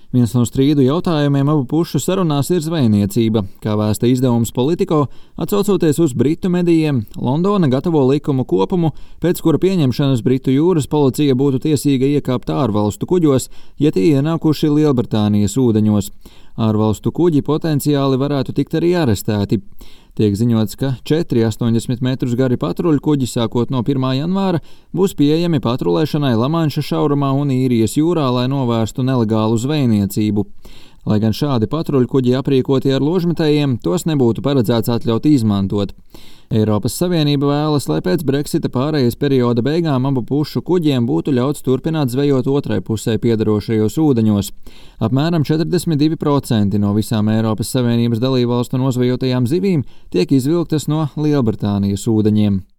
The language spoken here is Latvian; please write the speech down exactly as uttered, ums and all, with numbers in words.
Viens no strīdu jautājumiem abu pušu sarunās ir zvejniecība. Kā vēsta izdevums Politico, atsaucoties uz britu medijiem, Londona gatavo likumu kopumu, pēc kura pieņemšanas Britu jūras policija būtu tiesīga iekāpt ārvalstu kuģos, ja tie ienākuši Lielbritānijas ūdeņos. Ārvalstu kuģi potenciāli varētu tikt arī arestēti. Tiek ziņots, ka četri astoņdesmit metrus gari patruļkuģi sākot no pirmā janvāra būs pieejami patrulēšanai Lamanša šaurumā un Īrijas jūrā, lai novērstu nelegālu zvejniecību. Lai gan šādi patruļkuģi aprīkoti ar ložmetējiem, tos nebūtu paredzēts atļaut izmantot. Eiropas Savienība vēlas, lai pēc Brexita pārejas perioda beigām abu pušu kuģiem būtu ļauts turpināt zvejot otrai pusē piederošajos ūdeņos. Apmēram četrdesmit divi procenti no visām Eiropas Savienības dalībvalstu nozvejotajām zivīm tiek izvilktas no Lielbritānijas ūdeņiem.